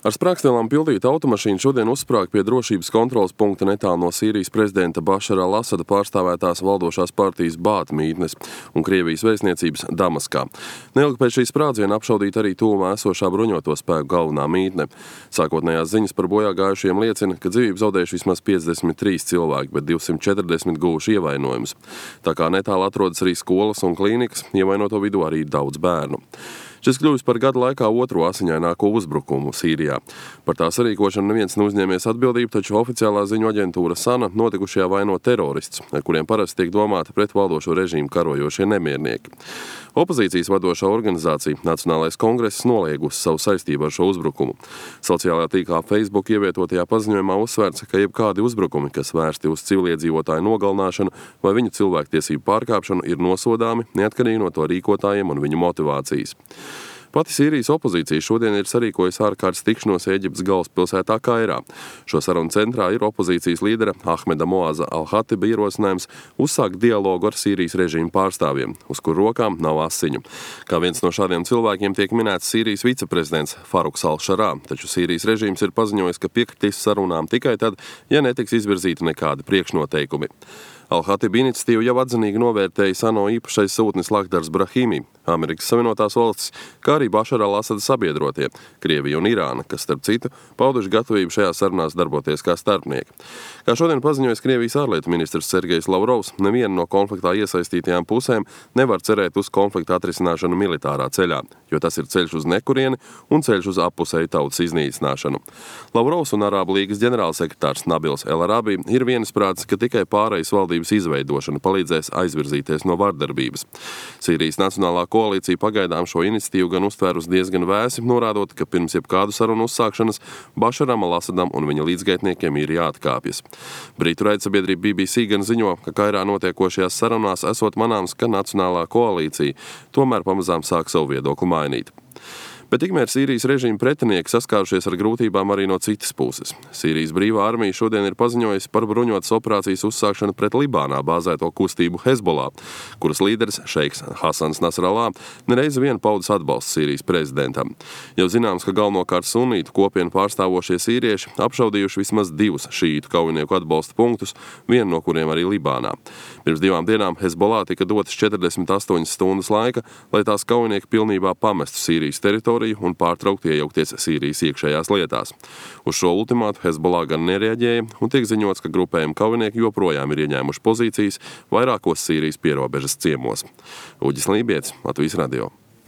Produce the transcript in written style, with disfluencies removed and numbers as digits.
Ar sprāgstvielām pildīta automašīna šodien uzsprāga pie drošības kontroles punkta netālu no Sīrijas prezidenta Bašara al-Asada pārstāvētās valdošās partijas Bāta mītnes un Krievijas vēstniecības Damaskā. Neilgi pēc šī sprādziena apšaudīta arī tuvumā esošā bruņoto spēku galvenā mītne. Sākotnējās ziņas par bojā gājušiem liecina, ka dzīvību zaudējuši vismaz 53 cilvēki, bet 240 guvuši ievainojumus. Tā kā netālu atrodas arī skolas un klīnikas, ievainoto vidū arī daudz bērnu. Šis kļuvis par gada laikā otro asiņaināko uzbrukumu Sīrijā. Par tā sarīkošanu neviens neuzņēmies atbildību, taču oficiālā ziņu aģentūra SANA notikušajā vaino terorists, ar kuriem parasti tiek domāti pret valdošo režīmu karojošie nemiernieki. Opozīcijas vadošā organizācija Nacionālais kongress noliegusi savu saistību ar šo uzbrukumu. Sociālajā tīklā Facebook ievietotajā paziņojumā uzsvērts, ka jebkādi uzbrukumi, kas vērsti uz civiliedzīvotāju nogalināšanu vai viņu cilvēktiesību pārkāpšanu, ir nosodāmi, neatkarīgi no to rīkotājiem un viņu motivācijas. Pati Sīrijas opozīcija šodien ir sarīkojusi ārkārtas tikšanos Ēģiptes galvaspilsētā Kairā. Šo sarunu centrā ir opozīcijas līdera Ahmeda Moaza al-Hatiba ierosinājums uzsākt dialogu ar Sīrijas režīmu pārstāvjiem, uz kur rokām nav asiņu. Kā viens no šādiem cilvēkiem tiek minēts Sīrijas viceprezidents Faruks al-Šarā, taču Sīrijas režīms ir paziņojis, ka piekritīs sarunām tikai tad, ja netiks izvirzīti nekādi priekšnoteikumi. Al-Hatiba iniciatīvu jau atzinīgi novērtēja ANO īpašais sūtnis Lakhdars Brahimi, Amerikas Savienotās valstis, kā arī Bašara al-Asada sabiedrotie, Krievija un Irāna, kas, starp citu, pauduši gatavību šajās sarunās darboties kā starpnieki. Kā šodien paziņojas Krievijas ārlietu ministrs Sergejs Lavrovs, neviena no konfliktā iesaistītajām pusēm nevar cerēt uz konflikta atrisināšanu militārā ceļā, jo tas ir ceļš uz nekurieni un ceļš uz appusēju tautas iznīcināšanu. Lavrovs un Arābu līgas ģenerālsekretārs Nabils El-Arabi ir vienisprātis, ka tikai pārejas valdības izveidošana palīdzēs aizvirzīties no vardarbības. Sīrijas Nacionālā koalīcija pagaidām šo iniciatīvu gan uztvēr uz diezgan vēsi, norādot, ka pirms jebkādu sarunu uzsākšanas Bašaram al-Asadam un viņa līdzgaitniekiem ir jāatkāpjas. Britu raidsabiedrība BBC gan ziņo, ka Kairā notiekošajās sarunās esot manāms, ka Nacionālā koalīcija tomēr pamazām sāk savu viedokli mainīt. Bet tikmēr Sīrijas režīma pretinieki saskārušies ar grūtībām arī no citas puses. Sīrijas brīvā armija šodien ir paziņojusi par bruņotas operācijas uzsākšanu pret Libānā bāzēto kustību Hezbollah, kuras līderis šeiks Hasans Nasrallah nereizi vien paudis atbalstu Sīrijas prezidentam. Jau zināms, ka galvenokārt sunītu kopienu pārstāvošie sīrieši apšaudījuši vismaz 2 šītu kaujinieku atbalsta punktus, vienu no kuriem arī Libānā. Pirms 2 dienām Hezbollah tika dotas 48 stundas laika, lai tās kaujinieki pilnībā pamestu Sīrijas teritoriju un pārtraukt iejaukties Sīrijas iekšējās lietās. Uz šo ultimātu Hezbollah gan nereaģēja, un tiek ziņots, ka grupējuma kaujinieki joprojām ir ieņēmuši pozīcijas vairākos Sīrijas pierobežas ciemos. Uģis Lībietis, Latvijas radio.